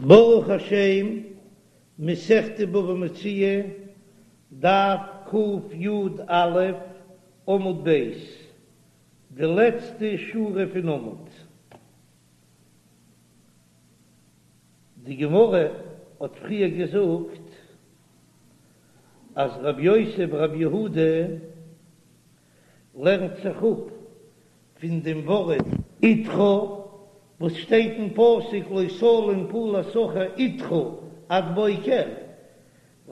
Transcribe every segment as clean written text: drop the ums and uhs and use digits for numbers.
ברוך השם, מסכת בבא מציעא, דף קי"א, עמוד ב', די לעצטע שורה פון עמוד. די גמרא האט פריער געזאגט אז רבי יוסי ברבי יהודה לערנט זיך אפ פון דעם ווארט אתך וואס שטייט אין פסוק לא תלין פעולת שכיר אתך עד בוקר,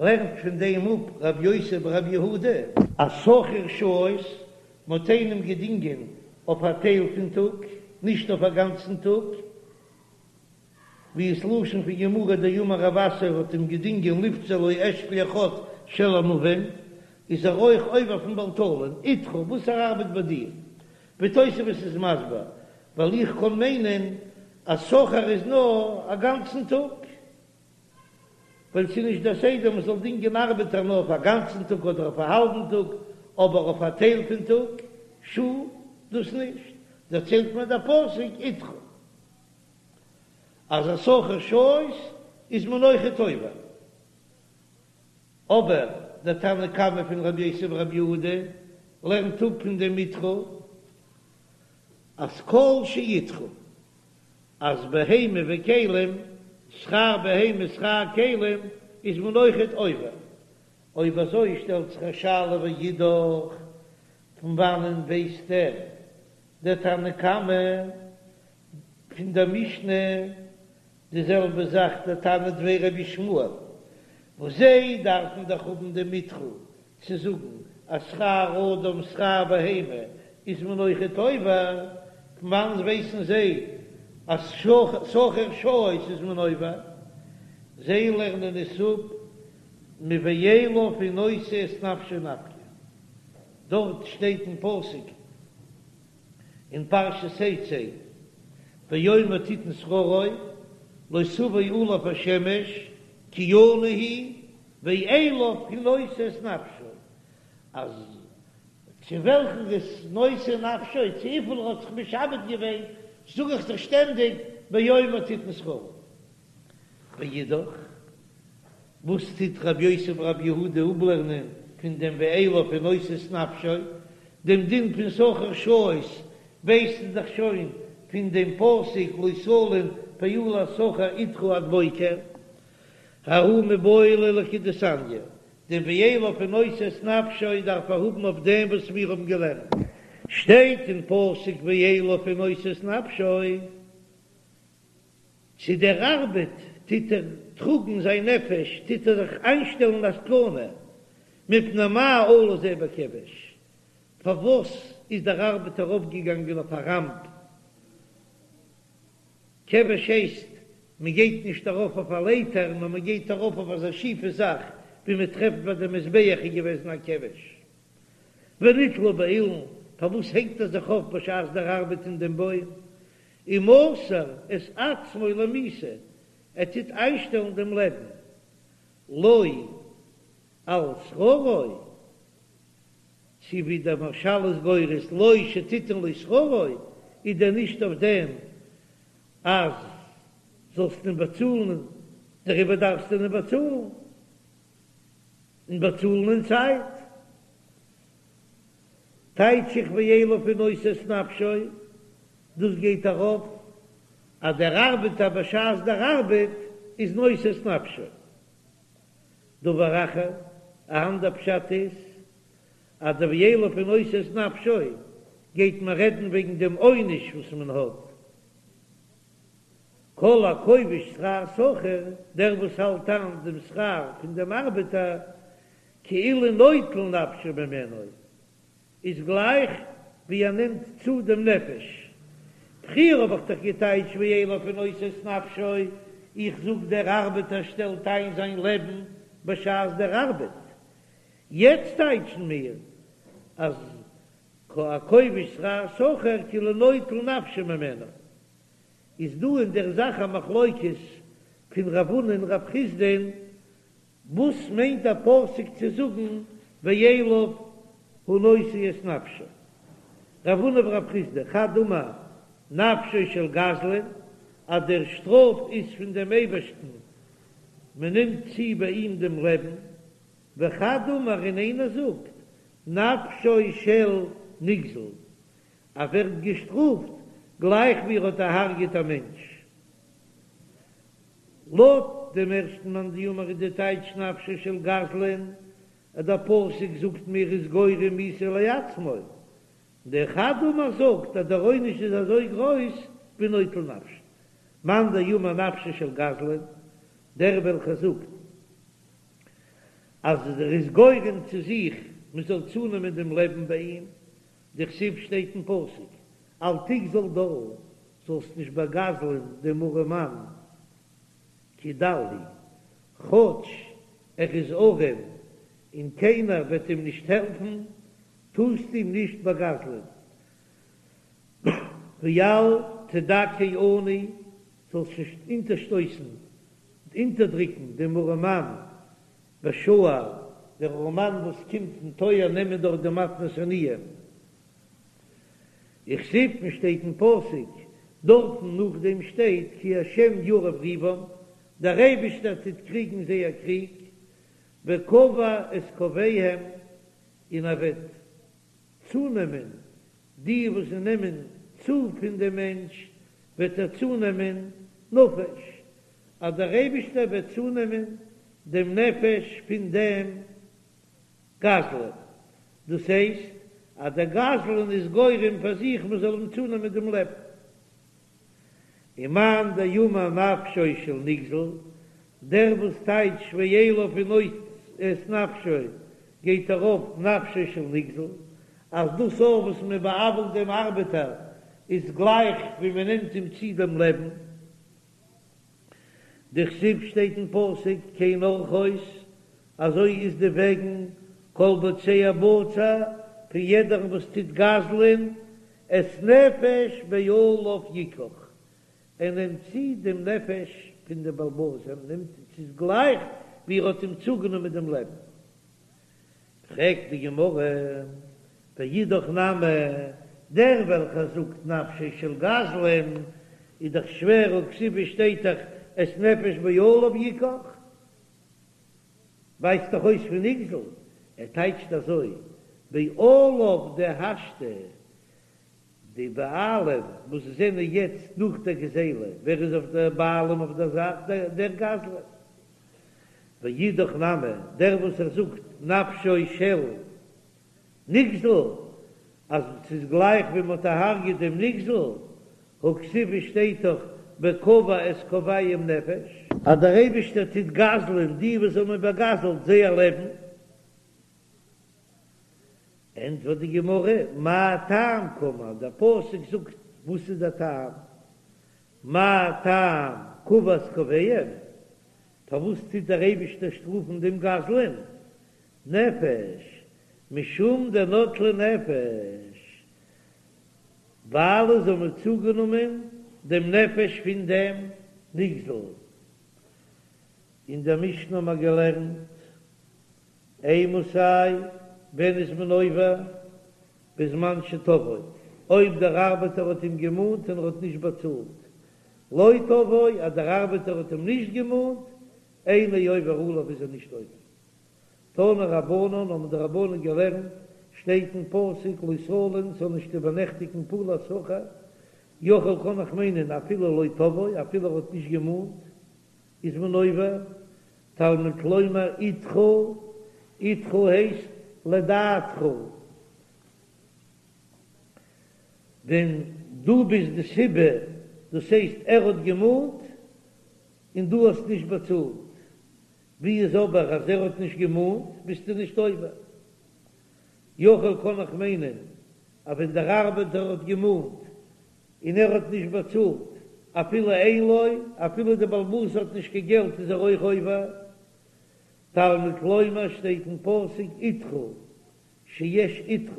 לערנט פון דעם אפ רבי יוסי ברבי יהודה, אז שכיר שעות, מ'האט איינעם געדינגען אויף א טייל פון טאג, נישט אויף א גאנצן טאג, ווי עס לשון פון גמרא דאמר רב אסי האט אים געדינגען לפצור לו אשכול אחד של ענבים, איז ער אויך עובר אויפן בל תלין, אתך וואס ער ארבעט ביי דיר, ווי תוספות איז מסביר, ווייל איך קען מיינען אז שכיר איז נאר א גאנצן טאג, ווייל ס'איז נישט דער סדר מען זאל דינגען ארבעטער נאר אויף א גאנצן טאג אדער אויף א האלבן טאג, אבער אויף א טייל פון טאג, שעה, דאס נישט, דערציילט מיר דער פסוק אתך. אז א שכיר שעות איז מען אויכעט עובר, אבער דער תנא קמא פון רבי יוסי ברבי יהודה לערנט אפ פון דעם אתך אז כל שאתך אז בהמה וכלים, שכר בהמה שכר כלים, איז מען אויכעט עובר. אויב אזוי שטעלט זיך א שאלה ואידך, פון וואנען ווייסט ער דער תנא קמא פון דער משנה די זעלבע זאך דער תנא דבי רבי ישמעאל, וואס זיי דארפן דאך האבן דעם אתך צו זאגן אז שכר אדם שכר בהמה איז מען אויכעט עובר, פון וואנען ווייסן זיי אז שכיר שעות איז מען עובר? זיי לערנען עס אפ מואליו הוא נושא את נפשו נפקא, דארט שטייט אין פסוק. אין פרשת תצא, באומר תתן שכרו, לא תבוא עליו השמש, כי עני הוא, ואליו הוא נושא את נפשו, אז צו וועלכן איז נושא נפשו, צו וויפיל ער האט זיך משעבד געווען, זאג איך דאך שטענדיג באומר תתן שכרו. ואידך, וואס טוט רבי יוסי ברבי יהודה אפלערנען פון דעם ואליו הוא נושא את נפשו? דעם דין פון שכיר שעות ווייסטו דאך שוין פון דעם פסוק לא תלין פעולת שכיר אתך עד בוקר. ההוא מיבעי ליה לכדתניא, דעם ואליו הוא נושא את נפשו דארף ער האבן אויף דעם וואס מיר האבן געלערנט שטייט אין פסוק ואליו הוא נושא את נפשו. צו דער ארבעט טוט ער טראגן זיין נפש, טוט ער זיך איינשטעלן א סכנה, מפני מה עלה זה בכבש, פארוואס איז דער ארבעטער ארויפגעגאנגען אויף א ראמפ, כבש הייסט מען גייט נישט ארויף אויף א לייטער, נאר מען גייט ארויף אויף אזא שיפע זאך ווי מען טרעפט ביי די מזבח איז געוועזן א כבש. ונתלה באילן, פארוואס הענגט ער זיך אויף בשעת דער ארבעט אין דעם בוים? ומוסר את עצמו למיתה, ער טוט איינשטעלן דעם לעבן, לא על שכרו, צו ווי דער מהרש"ל איז גורס לא שתתן לו שכרו, איז דען נישט אויף דעם אז זאלסט אים באצאלן, דעריבער דארפסטו אים באצאלן, און באצאלן אין צייט. טייטש איך ואליו הוא נושא את נפשו, דאס גייט ארויף אז דער ארבעטער בשעת דער ארבעט איז נושא את נפשו. דבר אחר, א אנדער פשט איז אז דער ואליו הוא נושא את נפשו גייט מען רעדן וועגן דעם עונש וואס מען האט, כל הכובש שכר שכיר, דער וואס האלט איין דעם שכר פון דעם ארבעטער, כאילו נוטל נפשו ממנו, איז גלייך ווי ער נעמט צו דעם נפש. פריער האב איך דאך געטייטש ואליו הוא נושא את נפשו, איך זאג דער ארבעטער שטעלט איין זיין לעבן בשעת דער ארבעט. יעצט טייטשן מיר אז הכובש שכר שכיר כאילו נוטל נפשו ממנו. איז דא אין דער זאך א מחלוקת פון רב הונא און רב חסדא'ן וואס מיינט דער פסוק צו זאגן ואליו הוא נושא את נפשו? רב הונא ורב חסדא, חד אמר נפשו של גזלן, אז דער שטראף איז פון דעם אייבערשטן, מען נעמט צו ביי אים דעם לעבן, וחד אמר און איינער זאגט נפשו של נגזל, ער ווערט געשטראפט גלייך ווי ער האט דערהרגעט א מענטש. לויט דעם ערשטן מאן דאמר איז די טייטש נפשו של גזלן, אז דער פסוק זאגט מיר איז גורם מיתה לעצמו, דער חד אמר זאגט אז דער עונש איז אזוי גרויס ווי נוטל נפשו. מאן דאמר נפשו של גזלן, דער וועלכער זאגט אז ער איז גורם צו זיך מען זאל צונעמען דעם לעבן ביי אים, דכתיב שטייט אין פסוק אל תגזול דל, זאלסט נישט באגזלען דעם ארעמאן כי דל הוא, כאטש ער איז ארעם און קיינער וועט אים נישט העלפן, טארסט אים נישט באגזלען. ואל תדכא עני, זאלסט נישט אונטערשטויסן, אונטערדריקן דעם ארעמאן בשער, דער ארעמאן וואס קומט אין טויער נעמען דארט די מתנות עניים. וכתיב און שטייט אין פסוק, דארטן נאכדעם שטייט כי השם יריב ריבם, דער אייבישטער טוט קריגן זייער קריג, וקבע את קבעיהם, און ער וועט צונעמען די וואס זיי נעמען צו פון דעם מענטש, וועט ער צונעמען נפש, אז דער אייבישטער וועט צונעמען דעם נפש פון דעם גזלן, דאס הייסט אז דער גזלן איז גורם פאר זיך מען זאל אים צונעמען דעם לעבן. ומאן דאמר נפשו של נגזל, דער וואס טייטשט ואליו הוא נוטל את נפשו גייט ארויף נפשו של נגזל, אז דאס אויך וואס מען בא'עוול'ט דעם ארבעטער איז גלייך ווי מען נעמט אים צו דעם לעבן. דכתיב שטייט אין פסוק כן ארחות, אזוי איז די וועגן כל בוצע בצע פון יעדערן וואס טוט גזל'ען, את נפש בעליו יקח, ער נעמט צו דעם נפש פון דעם בעל הבית, ער נעמט ס'איז גלייך ווי ער האט אים צוגענומען דעם לעבן. פרעגט די גמרא, ואידך נמי, דער וועלכער זאגט נפשו של גזלן, איז דאך שווער, והכתיב שטייט דאך את נפש בעליו יקח, ווייזט דאך אויס פון נגזל, ער טייטשט אזוי, בעליו דהשתא, די בעלים וואס זענען יעצט נאך דער גזילה, ווער איז אויף דער בעלים אויף דער זאך? דער גזלן. ואידך נמי, דער וואס ער זאגט נפשו של נגזל, אז ס'איז גלייך ווי מ'האט דערהרג'עט דעם נגזל, הכתיב שטייט דאך וקבע את קבעיהם נפש. אז דער אייבישטער טוט גזל'ען די וואס האבן באגזל'ט זייער לעבן. ענטפערט די גמרא, מה טעם קאמר, דער פסוק זאגט וואס איז דער טעם, מה טעם קבע את קבעיהם, פארוואס טוט דער אייבישטער שטראפן דעם גזלן, נפש, משום דנטלי נפש, ווייל זיי האבן צוגענומען דעם נפש פון דעם נגזל. אין דער משנה האבן מיר געלערנט, אימתי, ווען איז מען עובר? בזמן שתבעו, אויב דער ארבעטער האט אים געמאנט און ער האט נישט באצאלט. לא תבעו, אז דער ארבעטער האט אים נישט געמאנט, אינו עובר עליו איז ער נישט עובר. תנו רבנן האבן די רבנן געלערנט, שטייט אין פסוק לא תלין ס'זאל נישט איבערנעכטיגן פעולת שכיר, יכול קען איך מיינען אפילו לא תבעו, אפילו ער האט נישט געמאנט, איז מען עובר, תלמוד לומר אתך, אתך הייסט לדעתך, ווען דו ביסט די סיבה, דאס הייסט ער האט געמאנט און דו האסט נישט באצאלט, ווי איז אבער אז ער האט נישט געמאנט ביסטו נישט עובר. יכול קען איך מיינען אז ווען דער ארבעטער האט געמאנט און ער האט נישט באצאלט אפילו אין לו, אפילו דער בעל הבית האט נישט קיין געלט איז ער אויך עובר. תלמוד לומר שטייט אין פסוק אתך שיש אתך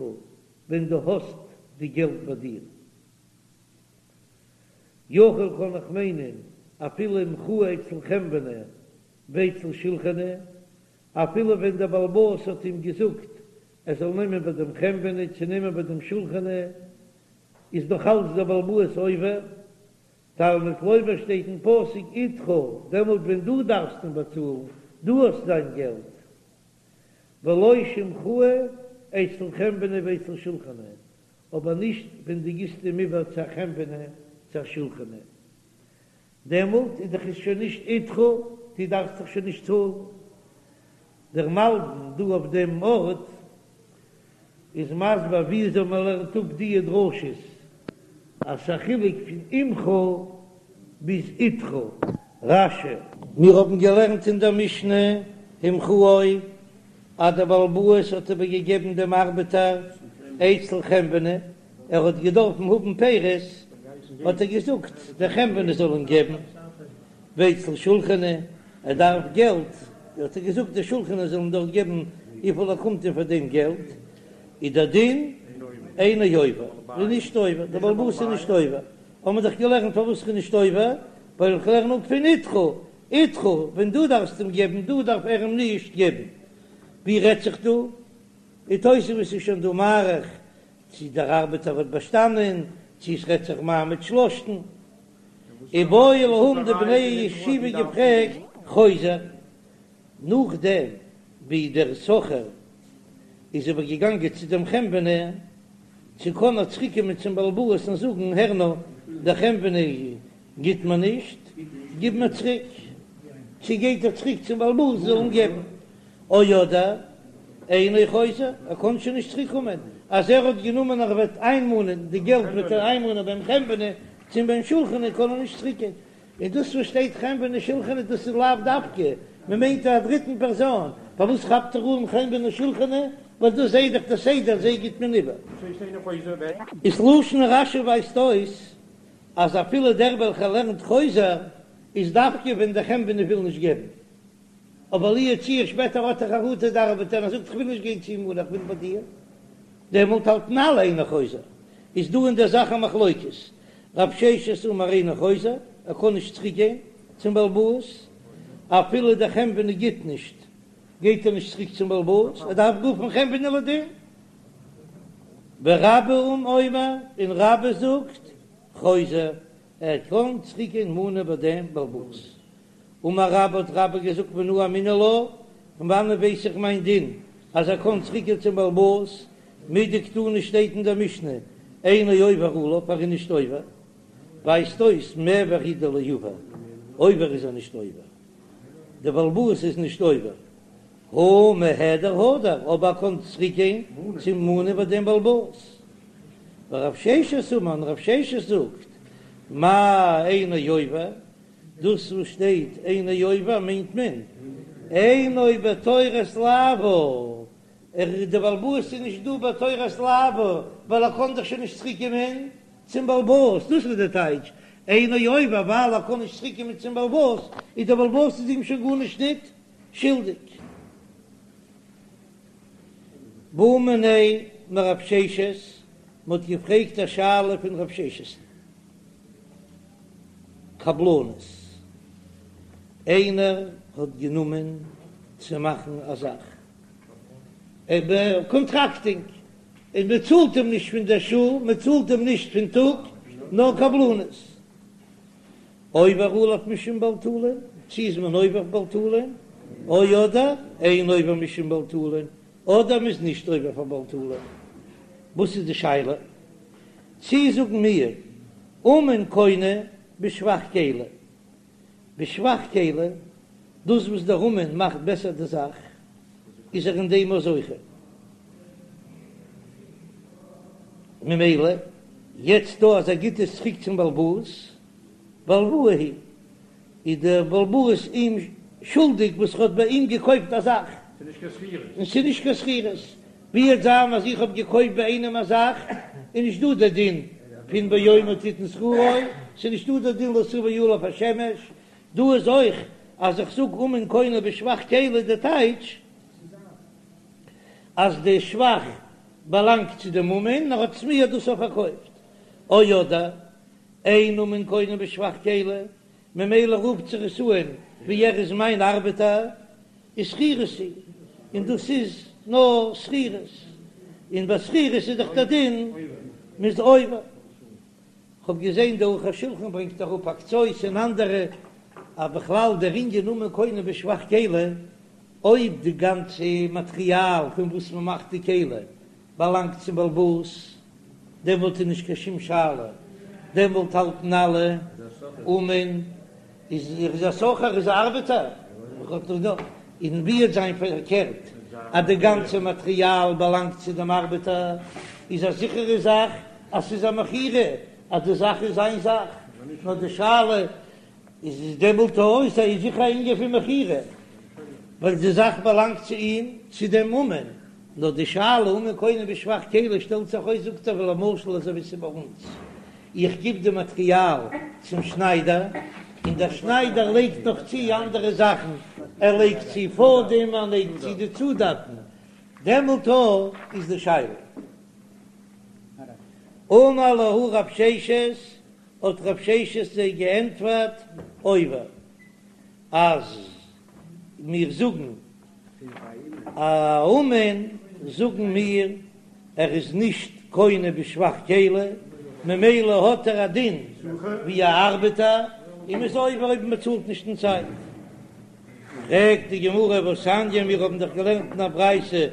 ווען דו האסט די געלט ביי דיר. יכול קען איך מיינען אפילו מכוה אצל חנווני ואצל שולחני, אפילו ווען דער בעל הבית האט אים געזאגט ער זאל נעמען ביי דעם חנווני צו נעמען ביי דעם שולחני, איז נאך אלץ דער בעל הבית עובר. תלמוד לומר שטייט אין פסוק אתך, דעמאלט ווען דו דארפסט אים באצאלן, דו האסט זיין געלט. ולא שהמכוהו אצל חנווני ואצל שולחני, אבער נישט ווען דו גיבסט אים איבער צו א חנווני צו א שולחני, דעמאלט איז דאך עס שוין נישט אתך, דו דארפסט דאך שוין נישט צאלן. דער מלבי"ם דא אויף דעם ארט איז מסביר וויאזוי מען לערנט אפ דיע דרשות, אז ס'איז א חילוק פון עמך ביז אתך. רש"י. מיר האבן געלערנט אין דער משנה המכוהו אז דער בעל הבית האט איבערגעגעבן דעם ארבעטער אצל חנווני, ער האט געדארפן האבן פירות, האט ער געזאגט דער חנווני זאל אים געבן, ואצל שולחני, ער דארף געלט, האט ער געזאגט דער שולחני זאל אים דארט געבן וויפיל ער קומט אים פאר דעם געלט, איז דער דין אינו עובר, איז נישט עובר, דער בעל הבית איז נישט עובר, האבן מיר דאך געלערנט פארוואס כ'איז נישט עובר, ווייל איך לערן אפ פון אתך, אתך, ווען דו דארפסט אים געבן, דא דארף ער אים נישט געבן. ווי רעדט זיך דא? די תוספות איז שוין דא מאריך צי דער ארבעטער האט באשטאנען, צי עס רעדט זיך מעמד שלשתן. איבעיא להו האבן די בני הישיבה געפרעגט חוזר, נאכדעם ווי דער שכיר איז איבער געגאנגען צו דעם חנווני, צו קען ער צוריק קומען צום בעל הבית און זאגן, הער נאר, דער חנווני גיט מיר נישט, גיב מיר צוריק, צו גייט ער צוריק צום בעל הבית זאל אים געבן, או אדער אינו חוזר, ער קען שוין נישט צוריק קומען, אז ער האט גענומען ער וועט איינמאנען די געלט וועט ער איינמאנען ביים חנווני צו ביים שולחני קען ער נישט צוריק גיין, און דאס וואס שטייט חנווני שולחני דאס איז לאו דווקא, מען מיינט א דריטן פערזאן, פארוואס כאפט ער אן חנווני שולחני, ווייל דאס זעה דאך די סדר זיי גיט מען איבער. איז לשון רש"י ווייזט אויס אז אפילו דער וועלכער לערנט חוזר איז דווקא ווען דער חנווני וויל נישט געבן, אבער לו יצוייר שפעטער האט ער חרטה דער ארבעטער און ער זאגט כ'וויל נישט גיין צו אים און כ'וויל ביי דיר, דעמאלט האלטן אלע אינו חוזר. איז דא אין דער זאך א מחלוקת, רב ששת אמר אינו חוזר, ער קען נישט צוריק גיין צום בעל הבית, אפילו דער חנווני גיט נישט, גייט ער נישט צוריק צום בעל הבית, ער דארף רופן חנווני לדין. ורבה אומר, און רבה זאגט, חוזר, ער קען צוריק גיין מאנען ביי דעם בעל הבית. אמר רבה האט רבה געזאגט מנא אמינא לה, פון וואנען ווייס איך מיין דין אז ער קען צוריקגיין צום בעל הבית, מדקתני שטייט אין דער משנה אינו עובר עליו ער איז נישט עובר, ווייזט אויס מיעבר הוא דלא עבר, עובר איז ער נישט עובר, דער בעל הבית איז נישט עובר, הא מיהדר הדר, אבער ער קען צוריקגיין צו מאנען ביי דעם בעל הבית. ורב ששת אמר, און רב ששת זאגט, מאי אינו עובר, דאס וואס שטייט אינו עובר מיינט מען אינו בתורת לאוו, ער דער בעל הבית איז נישט דא בתורת לאוו ווייל ער קען דאך שוין נישט צוריק קומען צום בעל הבית, דאס איז די טייטש אינו עובר ווייל ער קען נישט צוריק קומען צום בעל הבית איז דער בעל הבית איז אים שוין גארנישט ניט שולדיג. בעו מיניה מרב ששת, מען האט געפרעגט א שאלה פון רב ששת'ן. קבלנות, איינער האט גענומען צו מאכן א זאך, קאנטראקטינג, און מען צאלט אים נישט פון דער שעה, מען צאלט אים נישט פון טאג, נאר קבלנות. עובר עליו משום בעל תלין, צו איז מען עובר אויף בעל תלין, או אדער אין עובר משום בעל תלין, אדער מען איז נישט עובר פאר בעל תלין. וואס איז די שאלה? צי זאגן מיר אומן קונה בשבח כלי, בשבח כלי, דאס וואס דער אומן מאכט בעסער די זאך, איז ער אין דעם אויך זוכה. ממילא, יעצט דא אז ער גיט עס צוריק צום בעל הבית, בהלוואה היא, איז דער בעל הבית אים שולדיג וואס ער האט ביי אים געקויפט א זאך, און ס'איז נישט קיין שכירות. ווי וועט זיין אז איך האב געקויפט ביי איינעם א זאך, איז נישט דא דער דין פון ביומו תתן שכרו, ס'איז נישט דא דער דין לא תבוא עליו השמש, דא איז אויך אז איך זאג אומן קונה בשבח כלי די טייטש אז די שבח באלאנגט צו דעם אומן, ער האט עס מיר דאס אויך פארקויפט, או אדער אין אומן קונה בשבח כלי, ממילא רופט זיך עס אן ווי ער איז מיין ארבעטער, איז שכירות היא, און דאס איז נאר שכירות, און ביי שכירות איז דאך דער דין מ'איז עובר. כ'האב געזען די ערוך השולחן ברענגט אראפ א קצות און אנדערע אז בכלל דער ענין אומן קונה בשבח כלי, אויב די גאנצע מאטריאל פון וואס מען מאכט די כלי באלאנגט צום בעל הבית, דעמאלט איז נישט קיין שום שאלה, דעמאלט האלטן אלע אומן איז ער איז א שכיר איז א ארבעטער, און ווי וועט זיין פארקערט אז די גאנצע מאטריאל באלאנגט צו דעם ארבעטער, איז א זיכערע זאך אז ס'איז א מכירה אז די זאך איז זיין זאך, נאר די שאלה איז איז דעמאלט אויס איז זיכער א ענין פון מכירה ווייל די זאך באלאנגט צו אים צו דעם אומן, נאר די שאלה אומן קונה בשבח כלי שטעלט זיך אויס זאגט ער ווי למשל אזוי ווי ס'איז ביי אונז איך גיב די מאטריאל צום שניידער און דער שניידער לייגט נאך צו אנדערע זאכן ער לייגט צו פאדעם ער לייגט צו די צודאטן דעמאלט איז די שאלה. אמר להו רב ששת האט רב ששת זיי געענטפערט, עובר, אז מיר זאגן א אומן זאגן מיר ער איז נישט קונה בשבח כלי, ממילא האט ער א דין ווי א ארבעטער, און מ'איז עובר אויב מ'צאלט נישט אין צייט. פרעגט די גמרא והתניא מיר האבן דאך געלערנט אין א ברייתא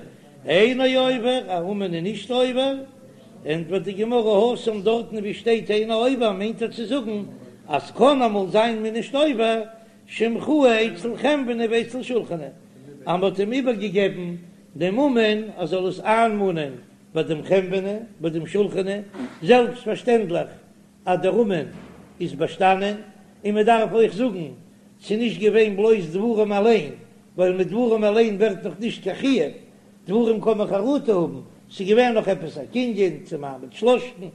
אינו עובר, א אומן איז נישט עובר, ענטפערט די גמרא התם דארטן ווי שטייט אינו עובר מיינט ער צו זאגן אז קען אמאל זיין מ'איז נישט עובר, שמכרוהו אצל חנווני ואצל שולחני, אז מ'האט אים איבערגעגעבן דעם אומן ער זאל עס איינמאנען ביי דעם חנווני ביי דעם שולחני, זעלבסט פארשטענדליך אז דער אומן איז באשטאנען, און מ'דארף אויך זאגן ס'איז נישט געווען בלויז דברים אליין, ווייל מיט דברים אליין ווערט נאך נישט קיין חיוב, דברים קען מען חרטה האבן, ס'איז געווען נאך עפעס א קנין צו מעמד שלשתן.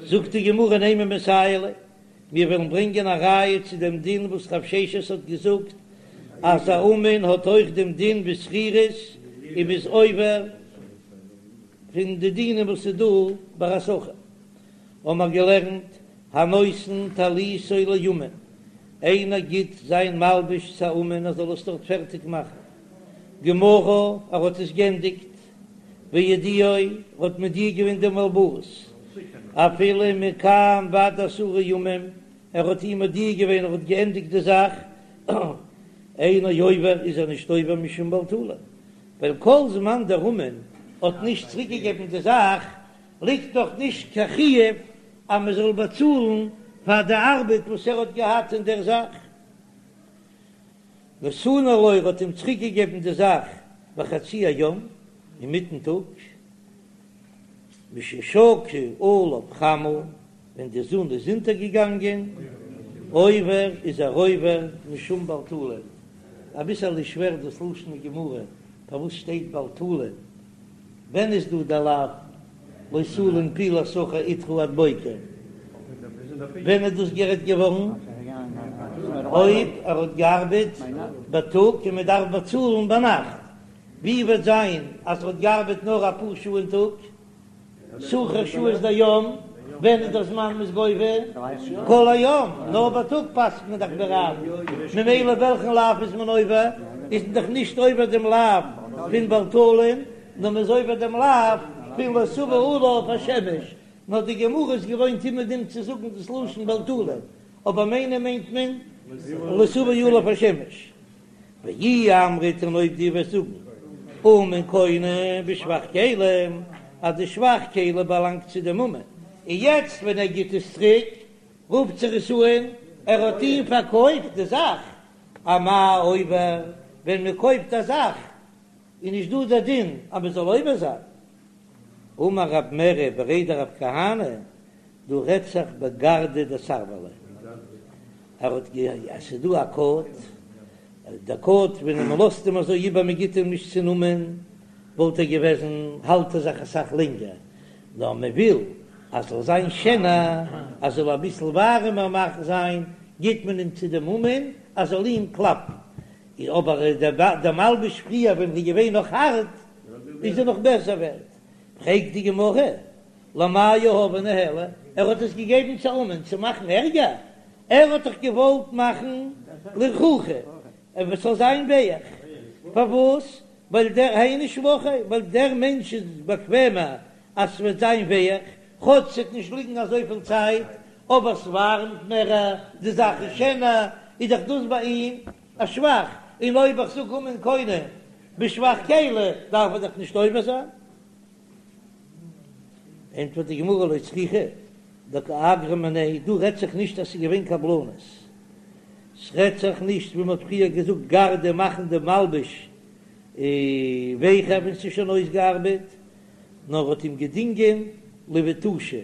זאגט די גמרא נימא מסייע ליה, מיר וועלן ברענגען א ראיה צו דעם דין וואס רב ששת האט געזאגט אז א אומן האט אויך דעם דין ווי שכירות און מ'איז עובר פון די דינים וואס איז דא ביי א שכיר, האמער געלערנט הנותן טליתו לאומן, איינער גיט זיין מלבוש צו א אומן ער זאל עס דארט פערטיג מאכן, גמרה, ער האט עס גענדיגט, והודיעו, ער האט מודיע געווען דעם בעל הבית, אפילו מכאן ועד עשרה ימים, ער האט אים מודיע געווען ער האט געענדיגט די זאך, אינו עובר איז ער נישט עובר משום בל תלין, ווייל כל זמן דער אומן האט נישט צוריק געגעבן די זאך, ליגט דאך נישט קיין חיוב אז מען זאל באצאלן פאר די ארבעט וואס ער האט געהאט אין דער זאך. נתנה לו ער האט אים צוריק געגעבן די זאך בחצי היום, אינמיטן טאג, מששקעה עליו חמה, ווען די זון איז אונטערגעגאנגען, עובר איז ער עובר משום בל תלין. אביסעלע שווער דאס לשון הגמרא, פארוואס שטייט בל תלין? ווען איז דא דער לאו לא תלין פעולת שכיר אתך עד בוקר? ווען איז דאס גערעדט געווארן? אויב ער האט געארבעט בייטאג און מען דארף באצאלן ביינאכט, ווי וועט זיין אז ער האט געארבעט נאר אפאר שעה אין טאג? שכר שעות דיום, ווען איז דער זמן מ'איז גובה? כל היום, נאר בייטאג פסק'נט מען דאך ווי רב, ממילא וועלכן לאו איז מען עובר? איז מען דאך נישט עובר דעם לאו פון בל תלין, נאר מ'איז עובר דעם לאו פון לא תבוא עליו השמש, נאר די גמרא איז געוואוינט אומעדום צו זאגן דאס לשון בל תלין, אבער מיינען מיינט מען לא תבוא עליו השמש. ואי אמרת און אויב דו וועסט זאגן אומן קונה בשבח כלים אז די שבח כלי באלאנגט צו דעם אומן און יעצט ווען ער גיט עס צוריק רופט זיך עס אן ער האט אים פארקויפט די זאך אמאי עובר ווען מען קויפט א זאך איז נישט דא דער דין אז מען זאל עובר זיין אמר רב מרי בריה דרב כהנא דא רעדט זיך בגרדא דסרבלא, ער האט גע עס איז דא א קאוט, דער קאוט ווען מען לאזט אים אזוי איבער מען גיט אים נישט צו נאמען וואלט ער געוועזן האלט ער זיך אסאך לענגער, נאר מען וויל אז זאל זיין שענער אז זאל אביסל ווארעמער מאכן זיין גיט מען אים צו דעם אומן אז זאל אים קלאפן, אבער דער מלבוש פריער ווען איז געווען נאך הארט איז ער נאך בעסער ווערט, פרעגט די גמרא למאי יהביה ניהליה, ער האט עס געגעבן צו אומן צו מאכן ערגער, ער האט דאך געוואלט מאכן לרכוכי, עס זאל זיין ווייך, פארוואס? ווייל דער היינו שבחיה, ווייל דער מענטש איז באקוועמער אז ס'וועט זיין ווייך, כאטש ס'וועט נישט ליגן אזויפיל צייט, אבער ס'ווארעמט מער, די זאך איז שענער, איז דאך דאס ביי אים א שבח, און אויב איך זאג אומן קונה בשבח כלי דארף ער דאך נישט עובר זיין. ענטפערט די גמרא לא צריכא דקא אגריה מיניה, דא רעדט זיך נישט אז ס'איז געווען קבלנות, ס'רעדט זיך נישט ווי מ'האט פריער געזאגט גרדי מאכן די מלבוש ווייכער ווען ס'איז שוין אויסגעארבעט, נאר האט אים געדינגען לבטושי,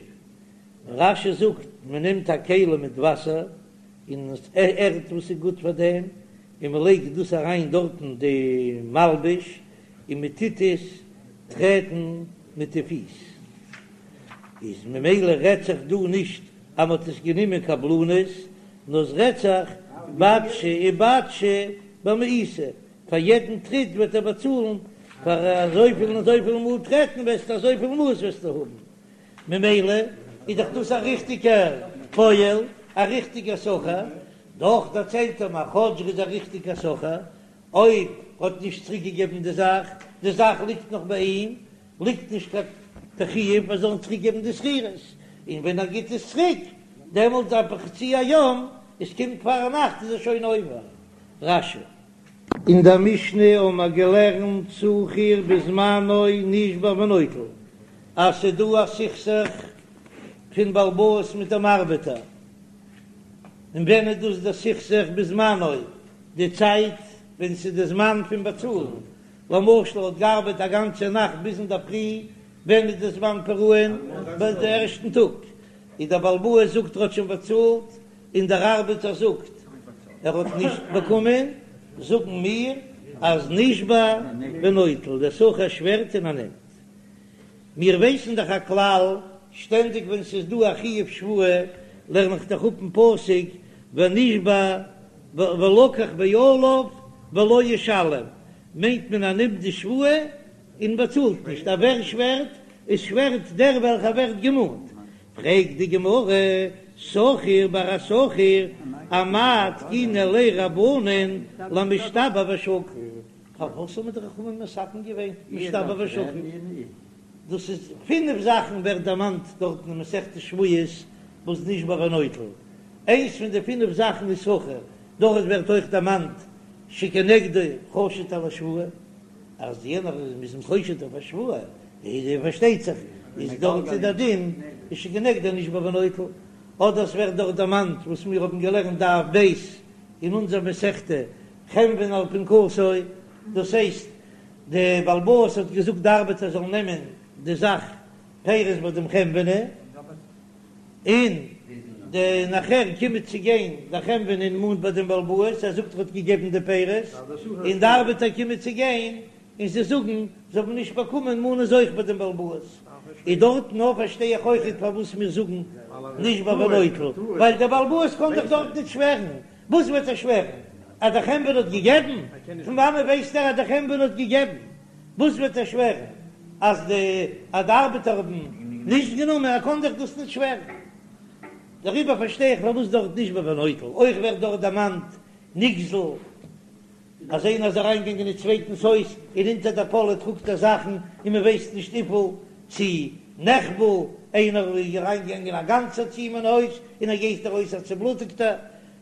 רש"י זאגט מ'נעמט א כלי מיט וואסער און ערד וואס איז גוט פאר דעם, און מ'לייגט דאס אריין דארטן די מלבוש, און מען טוט עס טרעטן מיט די פיס, איז ממילא רעדט זיך דא נישט אז מען האט עס גענומען קבלנות, נאר עס רעדט זיך בטשי ובטשי במעיתא, פאר יעדן טריט וועט ער באצאלן, פאר אזויפיל און אזויפיל מאל טרעטן וועסטו אזויפיל מעות וועסטו האבן, ממילא איז דאך דאס א ריכטיגער פועל, א ריכטיגער שכיר, דאך דערציילט ער מיר כאטש ער איז א ריכטיגער שכיר, אויב האט נישט צוריק געגעבן די זאך, די זאך ליגט נאך ביי אים, ליגט נישט קיין חיוב ער זאל אים צוריק געבן די שכירות, און ווען ער גיט עס צוריק, דעמאלט איז בחצי היום, עס קומט פארנאכט איז ער שוין עובר. רש"י. אין דער משנה האבן מיר געלערנט שכיר בזמנו נשבע ונוטל, אז ס'איז דא א סכסוך פון בעל הבית מיט דעם ארבעטער, און ווען איז דאס דער סכסוך בזמנו? די צייט ווען ס'איז די זמן פון באצאלן, למשל האט געארבעט א גאנצע נאכט ביז אינדערפרי, ווען איז די זמן פרעון? ביי די ערשטן טאג, איז דער בעל הבית זאגט ער האט שוין באצאלט, און דער ארבעטער זאגט ער האט נישט באקומען, זאגן מיר אז נשבע ונוטל, דער שכיר שווערט און ער נעמט. מיר ווייסן דאך א כלל, שטענדיג ווען ס'איז דא א חיוב שבועה לערן איך דאך אפ אין פסוק ונשבע ולקח בעליו ולא ישלם, מיינט מען ער נעמט די שבועה און באצאלט נישט, א ווער שווערט? עס שווערט דער וועלכער ווערט געמאנט. פרעגט די גמרא, שכיר ביי א שכיר, אמאי תקינו ליה רבנן למשתבע ושקיל? פארוואס האבן די חכמים מתקן געווען משתבע ושקיל? דאס איז פינף זאכן ווערט דערמאנט דארטן אין מסכת שבועות וואס נשבע ונוטל, איינס פון די פינף זאכן איז שכיר, דארט ווערט אויך דערמאנט שכנגדו חשוד על השבועה, אז יענער איז מ'איז אים חושד אויף א שבועה, איז פארשטייט זיך איז דארט איז דער דין איז שכנגדו נשבע ונוטל, אדער עס ווערט דארט דערמאנט וואס מיר האבן געלערנט דף ב' אין אונזער מסכתא חנוני על פנקסו, דאס הייסט די בעל הבית האט געזאגט די ארבעטער זאלן נעמען די זאך פירות ביי דעם חנווני, און די נאכער קומט צו גיין דער חנווני און מאנט ביי דעם בעל הבית, ער זאגט ער האט געגעבן די פירות, און די ארבעטער קומען צו גיין און זיי זאגן זיי האבן נישט באקומען מאנען זיי אויך ביי דעם בעל הבית, איז דארטן אויך פארשטיי איך אויכעט פארוואס מיר זאגן נשבע ונוטל, ווייל דער בעל הבית קען דאך דארט נישט שווערן, וואס וועט ער שווערן? אז דער חנווני האט געגעבן? פון וואנען ווייסט ער אז דער חנווני האט געגעבן? וואס וועט ער שווערן? אז די אז די ארבעטער האבן נישט גענומען? ער קען דאך דאס נישט שווערן. דעריבער פארשטיי איך פארוואס דארט נשבע ונוטל. אויך ווערט דארט דערמאנט נגזל. אז איינער איז אריינגעגאנגען אין צווייטנס הויז און אונטער דער פאלע טראגט ער זאכן און מען ווייסט נישט וויפיל, צי נחבל, איינער איז אריינגעגאנגען א גאנצער צו אים אין הויז און ער גייט ארויס א צובלוטיגטער,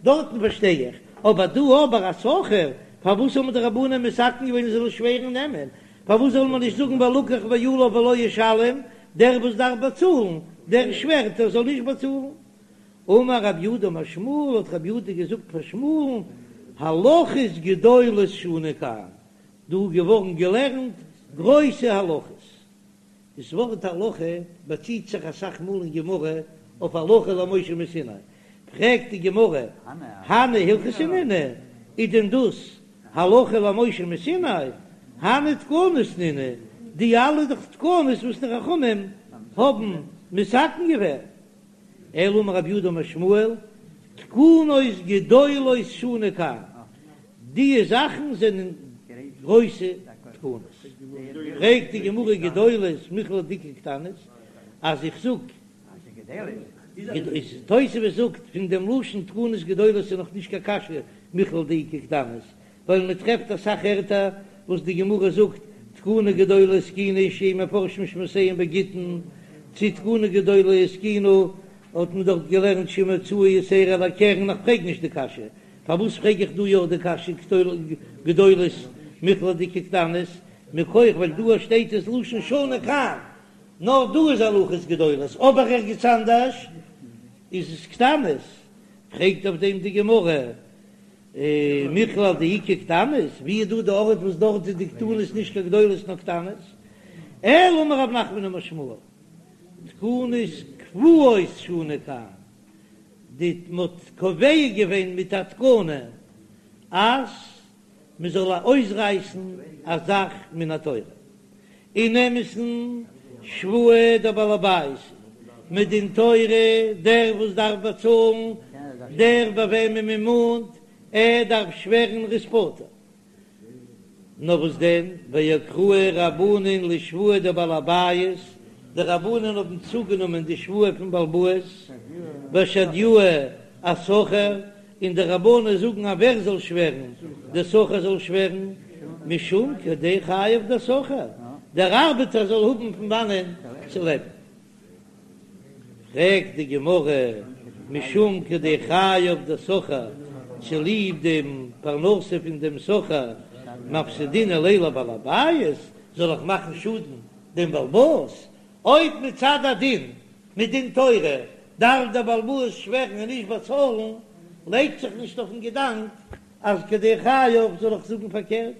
דארטן פארשטיי איך, אבער דא אבער א שכיר, פארוואס האבן די רבנן מתקן געווען ער זאל שווערן נעמען, פארוואס זאל מען נישט זאגן ולקח בעליו ולא ישלם, דער וואס דארף באצאלן, דער שווערט ער זאל נישט באצאלן. אמר רב יהודה אמר שמואל, האט רב יהודה געזאגט פאר שמואל'ן, הלכות גדולות שנו כאן, דא איז געווארן געלערנט גרויסע הלכות. דאס ווארט הלכה באציט זיך אסאך מאל אין גמרא אויף הלכה למשה מסיני. פרעגט די גמרא, הני הלכתא נינהו, איז דען דאס הלכה למשה מסיני? הני תקנות נינהו, די אלע איז דאך תקנות וואס די חכמים האבן מתקן געווען. אלא אמר רב יהודה אמר שמואל, תקנות גדולות שנו כאן, די זאכן זענען גרויסע תקנות. פרעגט די גמרא גדולות מכלל דאיכא קטנות, אז איך זאג, תוספות זאגט פון דעם לשון תקנות גדולות איז נאך נישט קיין קשיא מכלל דאיכא קטנות, ווייל מען טרעפט אסאך ערטער וואס די גמרא זאגט תקנה גדולה התקינו שיהו מפרשים שמותיהם בגיטין, צו תקנה גדולה התקינו, האט מען דארט געלערנט שאם הוצאה יתירה על הקרן, איך פרעג נישט די קשיא, פארוואס פרעג איך דא יא די קשיא גדולות מכלל דאיכא קטנות, מכח ווייל דא שטייט עס לשון שנו כאן, נאר דא איז הלכות גדולות אבער ערגעץ אנדערש איז עס קטנות, פרעגט אויף דעם די גמרא, מכלל דאיכא קטנות, ווי איז דא די ארט וואס דארט איז די קטנות נישט קיין גדולות נאר קטנות? אלא אמר רב נחמן אמר שמואל, תקנות קבועות שנו כאן, די מ'האט קובע געווען מיט א תקנה אז מ'זאל אויסרייסן א זאך מן התורה, אין אמת'ן שבועה דבעל הבית מדין תורה, דער וואס דארף באצאלן, דער ביי וועמען מען מאנט, ער דארף שווערן ער איז פטור. נאר וואס דען, ואקרוה רבנן לשבועה דבעל הבית, די רבנן האבן צוגענומען די שבועה פון בעל הבית, ושדיוה אשכיר, און די רבנן זאגן אז ווער זאל שווערן, דער שכיר זאל שווערן, משום כדי חייו דשכיר, דער ארבעטער זאל האבן פון וואנען צו לעבן. פרעגט די גמרא, משום כדי חייו דשכיר, צוליב דעם פרנסה פון דעם שכיר, מפסידנא ליה לבעל הבית, זאל איך מאכן שאדן דעם בעל הבית? אויב מצד הדין, מדין תורה, דארף דער בעל הבית שווערן און נישט באצאלן, לייגט זיך נישט אויפן געדאנק אז כדי חייו זאל איך זאגן פארקערט.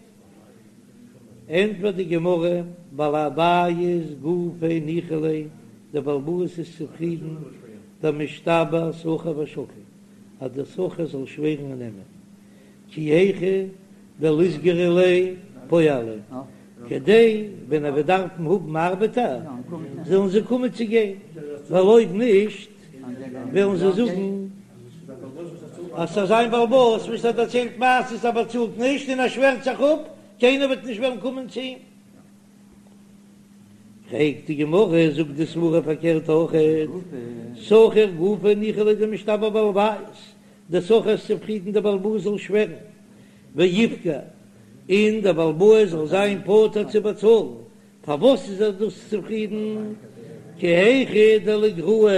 ענטפערט די גמרא, בעל הבית גופיה ניחא ליה, דער בעל הבית איז צופרידן, דמשתבע שכיר ושקיל, אז דער שכיר זאל שווערן און נעמען, כי היכי דליסגרו ליה פועלים, כדי ווען ער וועט דארפן האבן ארבעטער זאלן זיי קומען צו גיין, ווייל אויב נישט וועלן זיי זאגן אז ס'איז זיין בעל הבית וואס האט דערציילט מעשיות ער באצאלט נישט און ער שווערט זיך אפ, קיינער וועט נישט וועלן קומען צו אים. פרעגט די גמרא, זאגט די סברא פארקערט אויכעט, שכיר גופיה ניחא ליה דמשתבע בעל הבית, דער שכיר איז צופרידן דער בעל הבית זאל שווערן, ואיפגע, און דער בעל הבית זאל זיין פטור צו באצאלן, פארוואס איז ער דאס צופרידן? כי היכי דליגרעו,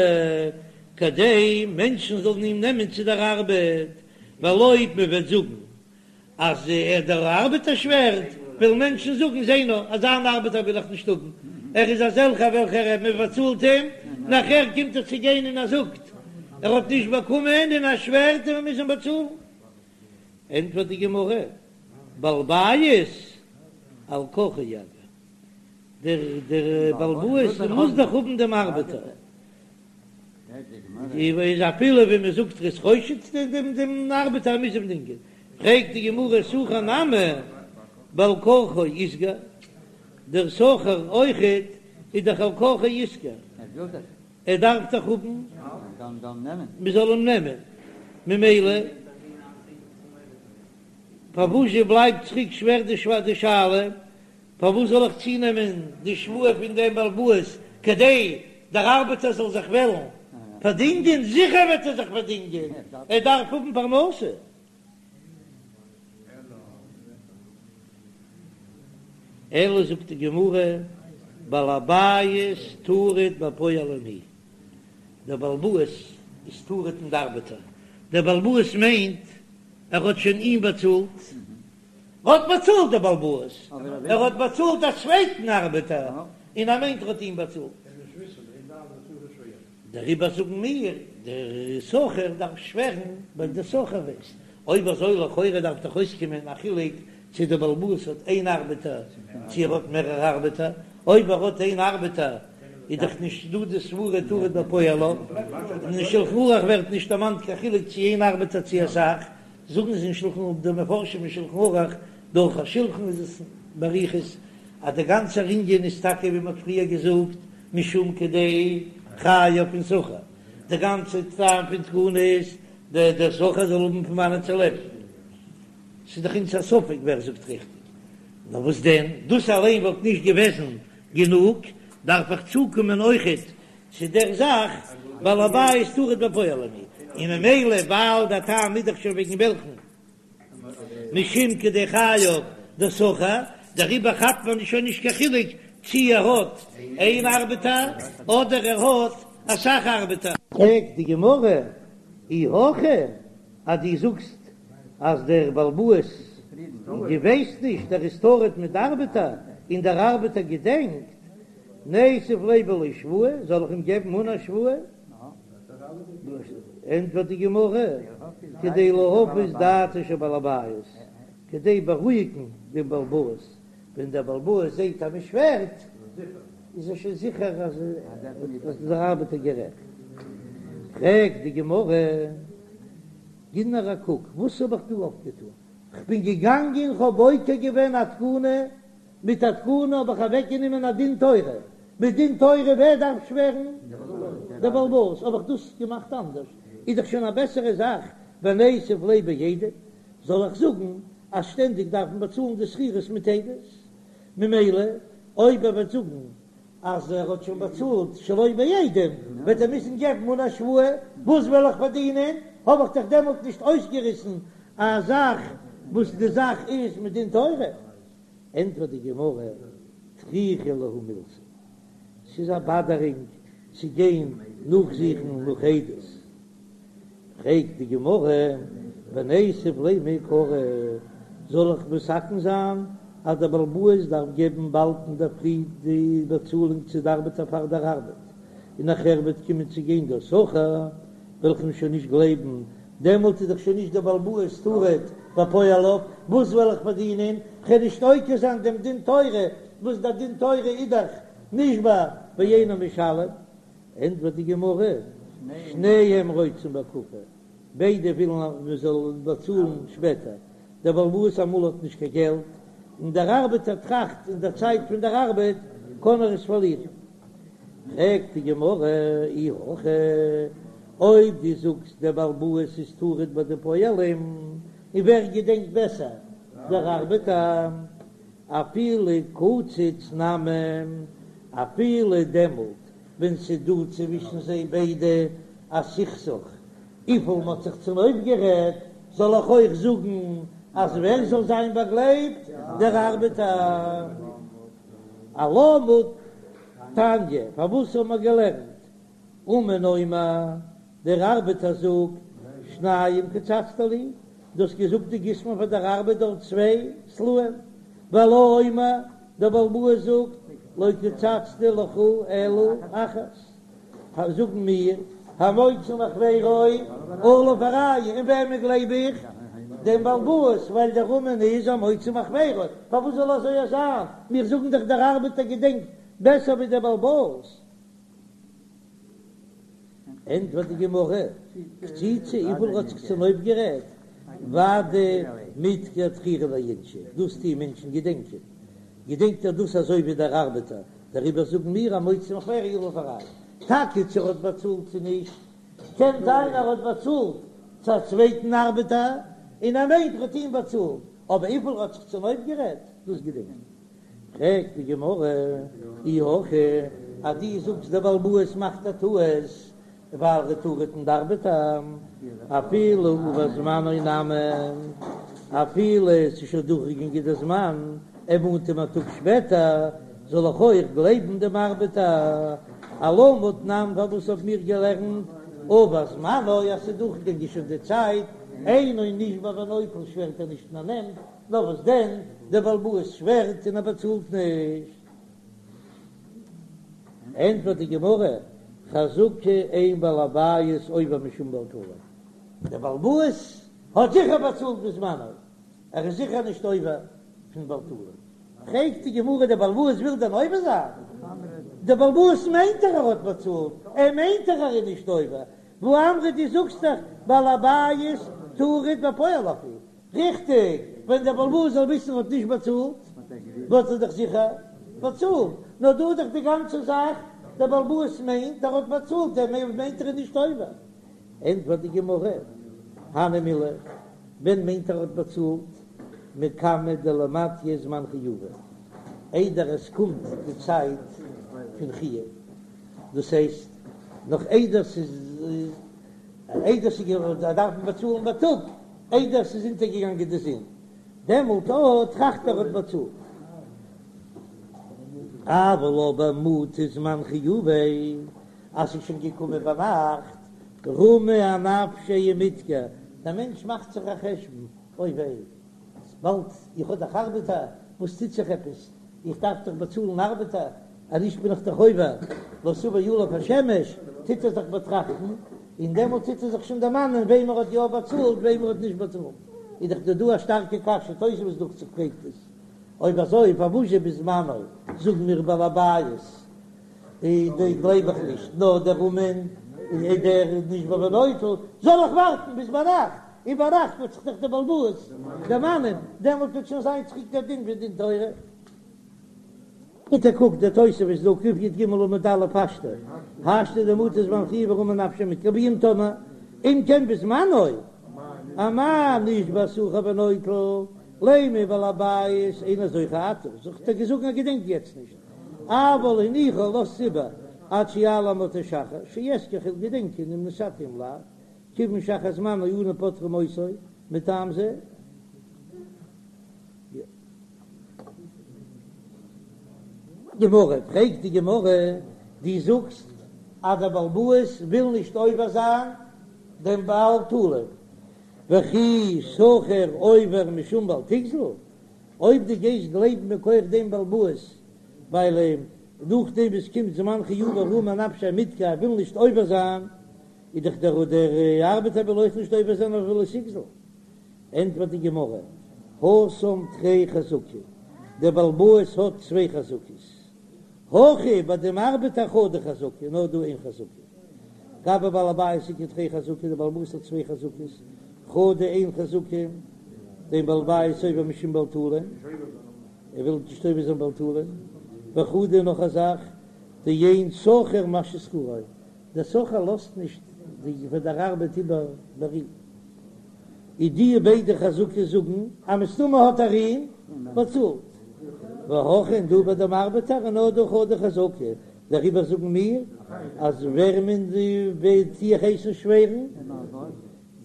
כדי מענטשן זאלן אים נעמען צו דער ארבעט, ווייל אויב מען וועט זאגן אז ער דער ארבעטער שווערט, וועלן מענטשן זאגן, זע נאר, אזא אן ארבעטער וויל איך נישט האבן, ער איז אזעלכער וועלכער מען באצאלט אים, נאכער קומט ער צו גיין און ער זאגט ער האט נישט באקומען און ער שווערט און מען מוז אים באצאלן. ענטפערט די גמרא, בעל בית על כרחו יגיר, דער דער בעל הבית מוז דאך האבן דעם ארבעטער, איז אפילו ווי מען זאגט ער איז חושד דעם דעם ארבעטער מוז אים דינגען, פרעגט די גמרא שכיר נמי בעל כרחו איתגר, דער שכיר אויכעט איז דאך על כרחו איתגר, ער דארף דאך האבן מען זאל אים נעמען, ממילא פארוואזשע בלייבט צוריק שווער די שאלה, פארוואס זאל איך צונעמען די שבועה פון דעם בעל הבית כדי דער ארבעטער זאל זיך וועלן פארדינגען? זיכער וועט ער זיך פארדינגען, ער דארף האבן פרנסה. אלא זאגט די גמרא, בעל הבית טרוד בפועלים הוא, דער בעל הבית איז טרוד אין די ארבעטער, דער בעל הבית מיינט ער האט שוין אים באצאלט, האט באצאלט דער בעל הבית, ער האט באצאלט א צווייטן ארבעטער, און ער מיינט ער האט אים באצאלט. דעריבער זאגן מיר, דער שכיר דארף שווערן ווייל דער שכיר ווייסט. אויב אזוי לכאורה דארף דאך אויסקומען א חילוק צו דער בעל הבית האט איין ארבעטער צו ער האט מערערע ארבעטער, אויב ער האט איין ארבעטער איז דאך נישט דא די סברה טרוד בפועליו, און אין שלחן ערוך ווערט נישט דערמאנט קיין חילוק צו איין ארבעטער צו אסאך, זאגן זיי אין שלחן ערוך די מפרשים אין שלחן ערוך דער ערוך השולחן איז עס באריכות אז דער גאנצער ענין איז טאקע ווי מען האט פריער געזאגט משום כדי חייו פון שכיר, די גאנצע טעם פון תקנה איז די דער שכיר זאל האבן פון וואנען צו לעבן, ס'איז דאך אונז א ספק ווער זאגט ריכטיג, נאר וואס דען דאס אליין וואלט נישט געוועזן גענוג, דארף איך צוקומען אויכעט צו דער זאך בעל הבית טרוד בפועלים הוא, און ממילא ווייל דער טעם איז דאך שוין וועגן וועלכן משום כדי חייו דשכיר, דעריבער כאפט מען שוין נישט קיין חילוק. צי ער האט איין ארבעטער אדער ער האט אסאך ארבעטער. פרעגט די גמרא, אי הכי אז דו זאגסט אז דער בעל הבית דו ווייסט נישט ער איז טרוד מיט די ארבעטער און דער ארבעטער געדענקט, ניתיב ליה בלא שבועה, זאל איך אים געבן אן א שבועה? ענטפערט די גמרא, כדי להפיס דעתו של בעל הבית, כדי בארואיגן דעם בעל הבית, ווען דער בעל הבית זעט אז מען שווערט, איז ער שוין זיכער אז דער ארבעטער גערעכט. פרעגט די גמרא, גיב נאר א קוק, וואס האב איך דא אויפגעטון? כ'בין געגאנגען, כ'האב עוקר געווען א תקנה, מיט א תקנה האב איך אוועקגענומען א דין תורה, מיט דין תורה ווער דארף שווערן? דער בעל הבית, האב איך דאס געמאכט אנדערש, איז דאך שוין א בעסערע זאך, וניתיב ליה בעדים, זאל איך זאגן אז שטענדיג דארף מען באצאלן די שכירות מיט עדות, ממילא אויב ער וועט זאגן אז ער האט שוין באצאלט שלא בעדים וועט ער מוזן געבן אן א שבועה, וואס וועל איך פארדינען? האב איך דאך דעמאלט נישט אויסגעריסן א זאך וואס די זאך איז מדין תורה. ענטפערט די גמרא, טריכא להו מילתא, ס'איז א באדערינג צו גיין נאכזוכן נאך עדות. פרעגט די גמרא, וניתיב ליה מעיקרא, זאל איך מתקן זיין אז דער בעל הבית דארף געבן באלד אינדערפרי די באצאלונג צו די ארבעטער פאר דער ארבעט, און נאכער וועט קומען צו גיין דער שכיר, וועל איך אים שוין נישט גלייבן, דעמאלט איז דאך שוין נישט דער בעל הבית טרוד בפועליו, וואס וועל איך פארדינען? כ'וועל נישט עוקר זיין דעם דין תורה, וואס דער דין תורה איז דאך נשבע ואינו משלם. ענטפערט די גמרא, שניהם רוצים בהקפה, ביידע ווילן אז מען זאל באצאלן שפעטער, דער בעל הבית אמאל האט נישט קיין געלט, און דער ארבעטער טראכט אין דער צייט פון דער ארבעט קען ער עס פארלירן. פרעגט די גמרא, אי הכי, אויב דו זאגסט דער בעל הבית איז טרוד ביי די פועלים, און ווער געדענקט בעסער, דער ארבעטער, אפילו קצץ נמי, אפילו דעמאלט ווען ס'איז דא צווישן זיי ביידע א סכסוך וויפיל מ'האט זיך צונויפגערעדט, זאל איך אויך זאגן אז ווער זאל זיין באגלייבט? דער ארבעטער. אלמה תניא, פארוואס האבן מיר געלערנט אומן אומר, דער ארבעטער זאגט, שניים קצצת לי, דו האסט געזאגט דו גיסט מיר פאר דער ארבעט דארט צוויי סלעים, והלה אומר, דער בעל הבית זאגט, לא קצצתי לך אלא אחת, זאגן מיר, המוציא מחבירו עליו הראיה, און וועמען גלייב איך? דעם בעל הבית, ווייל דער אומן איז המוציא מחבירו, פארוואס זאל אזוי זיין? מיר זאגן דאך דער ארבעטער געדענקט בעסער ווי דער בעל הבית. ענטפערט די גמרא, קציצה, וויפיל ער האט זיך צונויפגערעדט, ודאי מדכר דכירי לאינשי, דאס טוען מענטשן געדענקען, געדענקט ער דאס אזוי ווי דער ארבעטער, דעריבער זאגן מיר המוציא מחבירו עליו הראיה, טאקע צו ער האט באצאלט צו נישט, קען זיין ער האט באצאלט צו א צווייטן ארבעטער, און ער מיינט ער האט אים באצאלט, אבער וויפיל ער האט זיך צונויפגערעדט, דאס געדענקט ער. פרעגט די גמרא, אי הכי, אז דו זאגסט דער בעל הבית מאכט א טעות ווייל ער איז טרוד אין די ארבעטער, אפילו עבר זמנו נמי, אפילו עס איז שוין דורכגעגאנגען דער זמן, ער מאנט אים א טאג שפעטער, זאל איך אויך גלייבן דעם ארבעטער? אלמה תנן, פארוואס האבן מיר געלערנט עבר זמנו אז ס'איז דורכגעגאנגען שוין די צייט, אינו נשבע ונוטל שווערט ער נישט און ער נעמט, נאר וואס דען, דער בעל הבית שווערט און ער באצאלט נישט. ענטפערט די גמרא, חזקה אין בעל הבית עובר משום בעל תלוי. דער בעל הבית האט זיכער באצאלט בזמנו, ער איז זיכער נישט עובר פון בעל תלוי. פרעגט די גמרא, דער בעל הבית וויל דען עובר זיין? דער בעל הבית מיינט דאך ער האט באצאלט, ער מיינט דאך ער איז נישט עובר. והאמרת דו זאגסט דאך בעל הבית טרוד בפועליו הוא. ריכטיג, ווען דער בעל הבית זאל וויסן ער האט נישט באצאלט, וואלט ער דאך זיכער באצאלט, נאר דא איז דאך די גאנצע זאך, דער בעל הבית מיינט ער האט באצאלט, ער מיינט ער איז נישט עובר. ענטפערט די גמרא, הני מילי, ווען מיינט ער האט באצאלט? מקמי דלא מטיא זמן חיובא, איידער עס קומט די צייט פון חיוב, דאס הייסט נאך איידער ס'איז איידער ס'איז געווארן, דארף מען באצאלן בייטאג, איידער ס'איז אונטערגעגאנגען די זון, דעמאלט אט טראכט ער האט באצאלט. אבל אבער מטא זמן חיוביה, אז ס'איז שוין געקומען ביינאכט, רמי אנפשיה ומדכר, דער מענטש מאכט זיך א חשבון, אוי וויי, באלד, איך האב דאך ארבעטער, וואס טוט זיך עפעס, איך דארף דאך באצאלן ארבעטער, אז נישט בין איך דאך עובר לא תבוא עליו השמש, טוט ער זיך באטראכטן, און דעמאלט טוט ער זיך שוין דערמאנען וועם ער האט יא באצאלט, וועם ער האט נישט באצאלט. איז דאך דא דא א שטארקע קשיא, תוספות דוכט זיך פרעגט עס, אויב אזוי פארוואזשע בזמנו זאגן מיר בעל הבית איז די גלייב איך נישט, נאר דער אומן איז דער נשבע ונוטל, זאל איך ווארטן ביז ביינאכט, און ביינאכט וועט זיך דאך דער בעל הבית דערמאנען, דעמאלט וועט שוין זיין צוריק דער דין פון דין תורה. ביטע קוק די תוספות דא קי"ג עמוד א' השתא השתא דמטא זמן חיוביה רמי אנפשיה ומדכר ואם תאמר אם כן בזמנו אמאי נשבע שכיר ונוטל לימא בעל הבית אינו זוכר עתה זאגט ער געזאגט ער געדענקט יעצט נישט אבל הניחה לאזט איבער עד שיעלה עמוד השחר שיזכור כ'וועל געדענקען אם נתתי אם לאו כיוון שאחר זמנו אנו פוטרים אותו מטעם זה. גמרא, פרעגט די גמרא, דו זאגסט אז דער בעל הבית וויל נישט עובר זיין דעם בל תלין, וכי שכיר עובר משום בל תגזול, אויב דו גייסט גלייבן מכח דעם בעל הבית, ווייל נאכדעם וואס קומט זמן חיוביה רמי אנפשיה ומדכר ער וויל נישט עובר זיין, איז דאך דער דער ארבעטער וויל אויך נישט עובר זיין אויף ולא תגזול. ענטפערט די גמרא, התם תרי חזקי, דער בעל הבית האט צוויי חזקות, הכא ביי דעם ארבעטער חדא חזקה, נאר דא איין חזקה, גבי בעל הבית איכא תרי חזקי, דער בעל הבית האט צוויי חזקות, חדא איין חזקה, דאין בעל הבית עובר משום בל תלין, ער וויל נישט עובר זיין בל תלין, וחדא נאך א זאך, דאין שכיר משהה שכרו, דער שכיר לאזט נישט די פאר דער ארבעט איבער ביי אים. איז די ביידע חזקות זאגן אז מסתמא האט ער אים באצאלט. והכא און דא ביי דעם ארבעטער איז נאר דא חדא חזקה, דעריבער זאגן מיר אז ווער מען וועט דיך הייסן שווערן,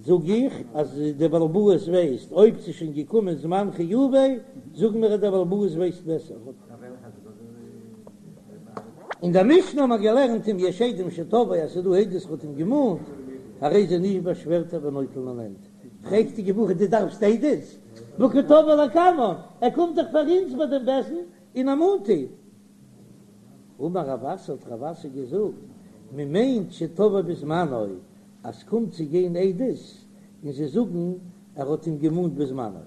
זאג איך אז דער בעל הבית ווייסט, אויב ס'איז שוין געקומען זמן חיוביה, זאגן מיר אז דער בעל הבית ווייסט בעסער. אין דער משנה האט מען געלערנט אם יש עדים שתבעו אז ס'איז דא עדות מ'האט אים געמאנט, הרי זה נשבע שווערט ער ונוטל און נעמט. פרעגט די גמרא דו דארפסט עדות? והא קא תבעיה לקמן, ער קומט דאך פאר אונז ביי דעם בית דין און ער מאנט אים. אמר רב אסי האט רב אסי געזאגט, מען מיינט שתבעו בזמנו, אז ס'קומט צו גיין עדות און זיי זאגן ער האט אים געמאנט בזמנו.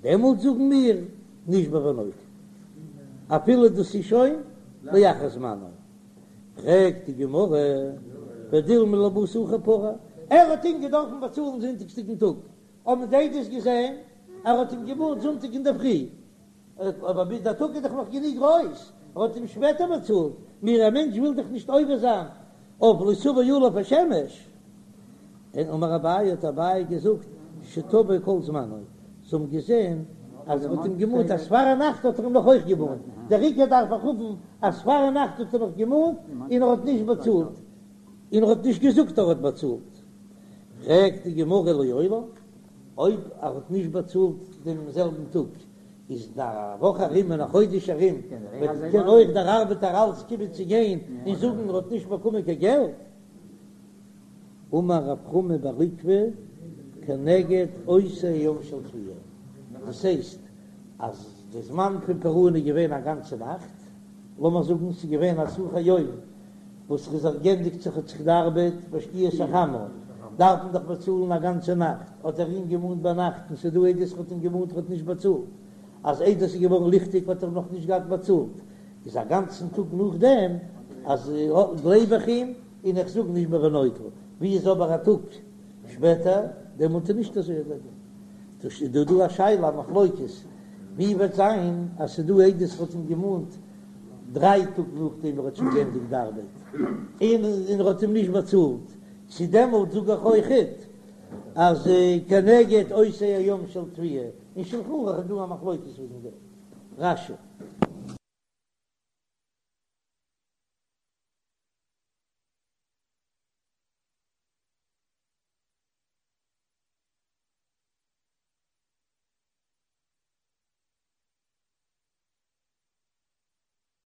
דעמאלט זאגן מיר נשבע ונוטל, אפילו דאס איז שוין לאחר זמנו. פרעגט די גמרא, ודילמא לבתר שכיר פרע, ער האט אים געדארפן באצאלן זונטאגסדיגן טאג, האבן די עדות געזען ער האט אים געמאנט זונטאג אינדערפרי, אבער ביז דער טאג איז דאך נאך גענוג גרויס, ער האט אים שפעטער באצאלט, מיר א מענטש וויל דאך נישט עובר זיין אויף לא תבוא עליו השמש. און אמר אביי האט אביי געזאגט שתבעו כל זמנו, זיי האבן געזען אז ער האט אים געמאנט אז פארנאכט האט ער אים נאך אויך געמאנט, דער עיקר דארף איך האבן אז פארנאכט האט ער נאך געמאנט און ער האט נישט באצאלט, און ער האט נישט געזאגט ער האט באצאלט. פרעגט די גמרא לעולם, אויב ער האט נישט באצאלט דעם זעלבן טאג, איז אין א וואך ארום און א חודש ארום וועט קען אויך דער ארבעטער אלץ קומען צו גיין און זאגן ער האט נישט באקומען קיין געלט. אמר רב חמא בר עוקבא כנגד אותו היום של תביעה, דאס הייסט אז די זמן פון פרעון איז געווען א גאנצע נאכט, לאמיר זאגן ס'איז געווען א שכר יום וואס איז זיך גענדיגט זיך האט זיך די ארבעט בשקיעת החמה, דארף מען דאך באצאלן א גאנצע נאכט, האט ער אים געמאנט ביינאכט און ס'איז דא עדות האט אים געמאנט האט נישט באצאלט, אז איידער ס'איז געווארן ליכטיג האט ער נאך נישט געהאט באצאלט, איז א גאנצן טאג נאכדעם אז גלייב איך אים און איך זאג נשבע ונוטל, ווי איז אבער א טאג שפעטער דעמאלט איז נישט אזוי דער דין. דאס איז דא דא א שאלה א מחלוקת ווי וועט זיין אז ס'איז דא עדות האט אים געמאנט דריי טאג נאכדעם ער האט שוין געענדיגט די ארבעט און און ער האט אים נישט באצאלט, צו דעמאלט זאג איך אויכעט אז כנגד אותו היום של תביעה, אין שלחן ערוך איז דא א מחלוקת וועגן דעם. רש"י.